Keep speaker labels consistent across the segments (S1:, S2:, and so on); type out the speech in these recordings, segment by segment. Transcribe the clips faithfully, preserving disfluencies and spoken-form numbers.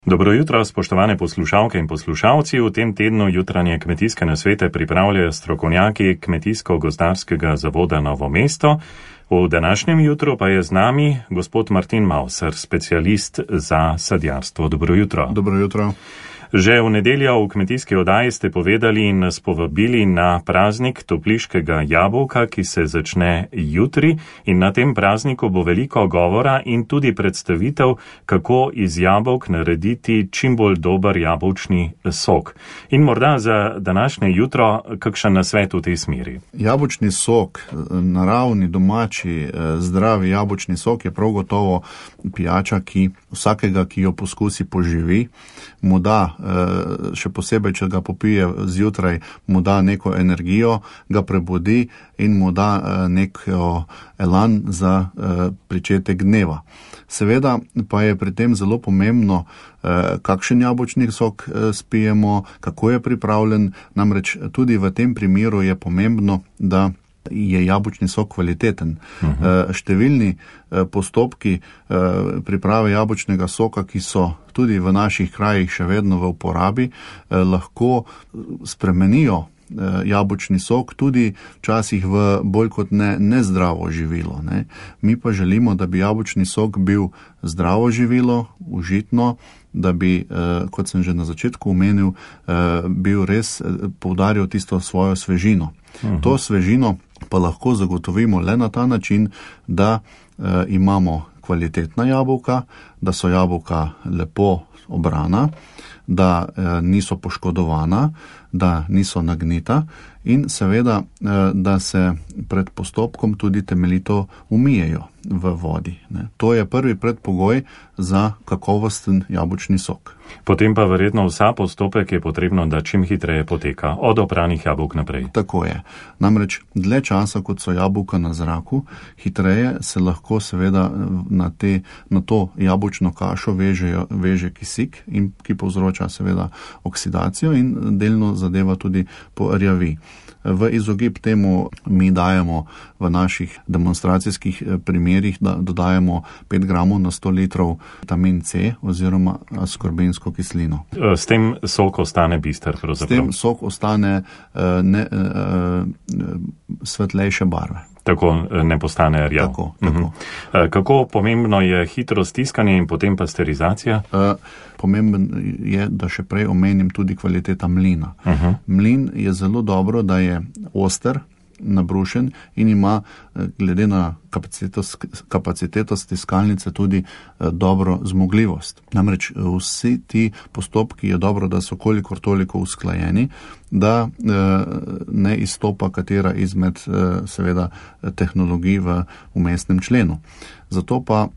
S1: Dobro jutro, spoštovane poslušalke in poslušalci. V tem tednu jutranje kmetijske nasvete pripravljajo strokovnjaki Kmetijsko-gozdarskega zavoda Novo mesto. V današnjem jutru pa je z nami gospod Martin Mauser, specialist za sadjarstvo. Dobro jutro.
S2: Dobro jutro.
S1: Že v nedeljo v kmetijski oddaji ste povedali in nas povabili na praznik topliškega jabolka, ki se začne jutri, in na tem prazniku bo veliko govora in tudi predstavitev, kako iz jabolk narediti čim bolj dober jabolčni sok. In morda za današnje jutro kakšen nasvet v tej smeri.
S2: Jabolčni sok, naravni, domači, zdravi jabolčni sok je prav gotovo pijača, ki vsakega, ki jo poskusi, poživi, mu da, še posebej, če ga popije zjutraj, mu da neko energijo, ga prebudi in mu da neko elan za pričetek dneva. Seveda pa je pri tem zelo pomembno, kakšen jabolčni sok spijemo, kako je pripravljen, namreč tudi v tem primeru je pomembno, da je jabolčni sok kvaliteten. Uh-huh. Številni postopki priprave jabolčnega soka, ki so tudi v naših krajih še vedno v uporabi, lahko spremenijo jabolčni sok tudi včasih v bolj kot ne nezdravo živilo. Ne. Mi pa želimo, da bi jabolčni sok bil zdravo živilo, užitno, da bi, kot sem že na začetku omenil, bil res poudaril tisto svojo svežino. Uh-huh. To svežino pa lahko zagotovimo le na ta način, da imamo kvalitetna jabolka, da so jabolka lepo obrana, da niso poškodovana, da niso nagnita in seveda, da se pred postopkom tudi temeljito umijejo v vodi. Ne. To je prvi predpogoj za kakovosten jabolčni sok.
S1: Potem pa verjetno vsa postopek je potrebno, da čim hitreje poteka, od opranih jabolk naprej.
S2: Tako je. Namreč dlje časa, kot so jabolka na zraku, hitreje se lahko seveda na, te, na to jabolčno kašo vežejo, veže kisik, in, ki povzroča seveda oksidacijo in delno zadeva tudi porjavi. V izogib temu mi dajemo v naših demonstracijskih primerih, da dodajemo pet gramov na sto litrov vitamin C oziroma askorbensko kislino.
S1: S tem sok ostane bister pravzaprav?
S2: S tem sok ostane ne, svetlejše barve.
S1: Tako ne postane rjav.
S2: Tako, tako.
S1: Uh-huh. Kako pomembno je hitro stiskanje in potem pasterizacija?
S2: Uh, pomemben je, da še prej omenim tudi kvaliteta mlina. Uh-huh. Mlin je zelo dobro, da je oster, nabrušen in ima glede na kapaciteto, kapaciteto stiskalnice tudi dobro zmogljivost. Namreč vsi ti postopki je dobro, da so kolikor toliko usklajeni, da ne izstopa katera izmed seveda tehnologij v vmesnem členu. Zato pa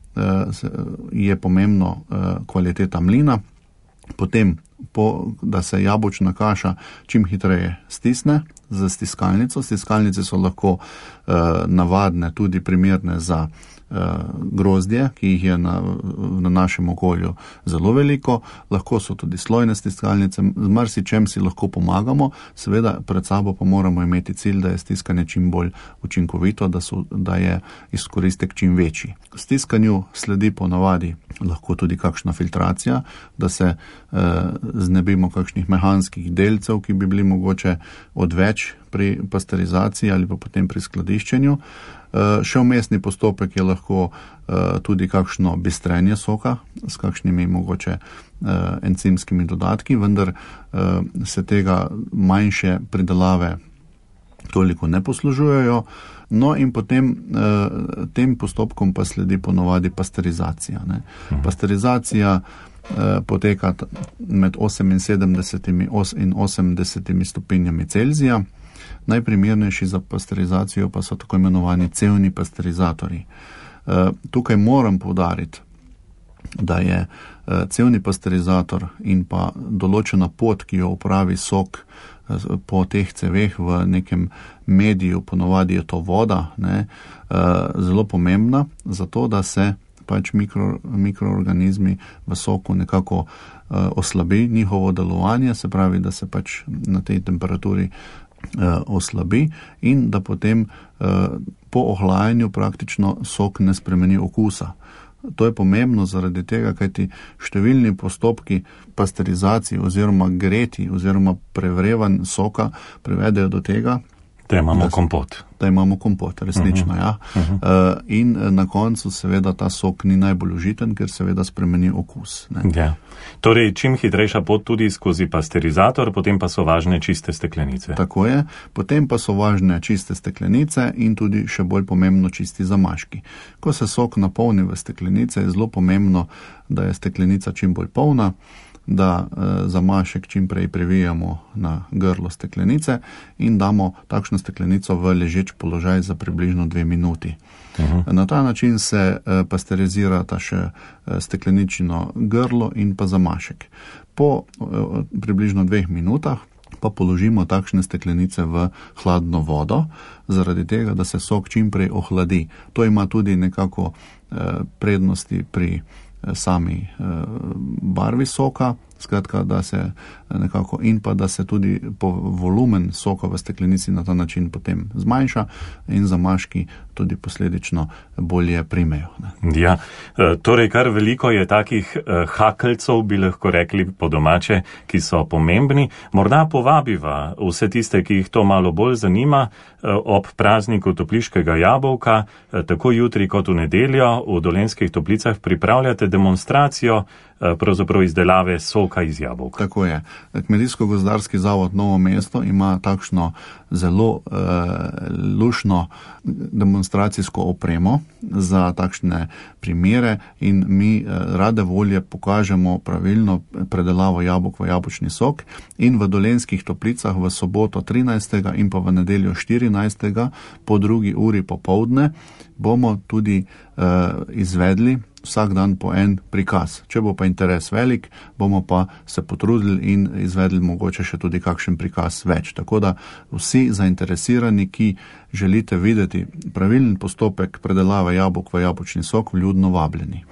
S2: je pomembno kvaliteta mlina, potem po, da se jabolčna kaša čim hitreje stisne z stiskalnico. Stiskalnice so lahko uh, navadne, tudi primerne za uh, grozdje, ki jih je na, na našem okolju zelo veliko. Lahko so tudi slojne stiskalnice, z marsičem si lahko pomagamo, seveda pred sabo pa moramo imeti cilj, da je stiskanje čim bolj učinkovito, da, so, da je izkoristek čim večji. Stiskanju sledi po navadi lahko tudi kakšna filtracija, da se uh, znebimo kakšnih mehanskih delcev, ki bi bili mogoče odveč pri pasterizaciji ali pa potem pri skladiščenju. Uh, še vmesni postopek je lahko uh, tudi kakšno bistrenje soka s kakšnimi mogoče uh, encimskimi dodatki, vendar uh, se tega manjše pridelave toliko ne poslužujejo. No in potem uh, tem postopkom pa sledi ponovadi pasterizacija. Ne. Pasterizacija poteka med oseminsedemdeset in osemdeset stopinjami Celzija. Najprimernejši za pasterizacijo pa so tako imenovani cevni pasterizatorji. Tukaj moram poudariti, da je cevni pasterizator in pa določena pot, ki jo upravi sok po teh ceveh v nekem mediju, ponovadi je to voda, ne, zelo pomembna, zato da se pač mikro, mikroorganizmi v soku nekako uh, oslabi njihovo delovanje, se pravi, da se pač na tej temperaturi uh, oslabi in da potem uh, po ohlajanju praktično sok ne spremeni okusa. To je pomembno zaradi tega, kajti številni postopki pasterizacije oziroma greti oziroma prevrevanj soka privedejo do tega,
S1: da imamo da, kompot.
S2: Da imamo kompot, resnično, uh-huh. ja. Uh-huh. Uh, in na koncu seveda ta sok ni najbolj užiten, ker seveda spremeni okus. Ne.
S1: Ja. Torej, čim hitrejša pot tudi skozi pasterizator, potem pa so važne čiste steklenice.
S2: Tako je, potem pa so važne čiste steklenice in tudi še bolj pomembno čisti zamaški. Ko se sok napolni v steklenice, je zelo pomembno, da je steklenica čim bolj polna, da e, zamašek čim prej previjamo na grlo steklenice in damo takšno steklenico v ležeč položaj za približno dve minuti. Uh-huh. Na ta način se e, pasterizirata še e, stekleničino grlo in pa zamašek. Po e, približno dveh minutah pa položimo takšne steklenice v hladno vodo, zaradi tega, da se sok čim prej ohladi. To ima tudi nekako e, prednosti pri sami barvi soka, skratka, da se nekako in pa da se tudi po volumen soka v steklenici na ta način potem zmanjša in zamaški tudi posledično bolje primejo. Ne.
S1: Ja, torej kar veliko je takih hakeljcev, bi lahko rekli po domače, ki so pomembni. Morda povabiva vse tiste, ki jih to malo bolj zanima, ob prazniku topliškega jabolka, tako jutri kot v nedeljo v Dolenjskih Toplicah pripravljate demonstracijo pravzaprav izdelave soka iz jabolka.
S2: Tako je. Kmetijsko-gozdarski zavod Novo mesto ima takšno zelo eh, lušno demonstracijsko opremo za takšne primere in mi eh, rade volje pokažemo pravilno predelavo jabolk v jabolčni sok in v Dolenjskih Toplicah v soboto trinajstega in pa v nedeljo štirinajstega po drugi uri popoldne bomo tudi eh, izvedli vsak dan po en prikaz. Če bo pa interes velik, bomo pa se potrudili in izvedli mogoče še tudi kakšen prikaz več. Tako da vsi zainteresirani, ki želite videti pravilen postopek predelave jabolk v jabolčni sok, vljudno vabljeni.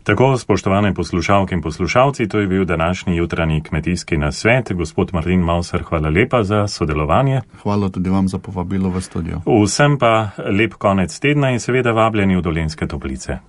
S1: Tako, spoštovane poslušalke in poslušalci, to je bil današnji jutranji kmetijski nasvet. Gospod Martin Mauser, hvala lepa za sodelovanje.
S2: Hvala tudi vam za povabilo v studio.
S1: Vsem pa lep konec tedna in seveda vabljeni v Dolenjske Toplice.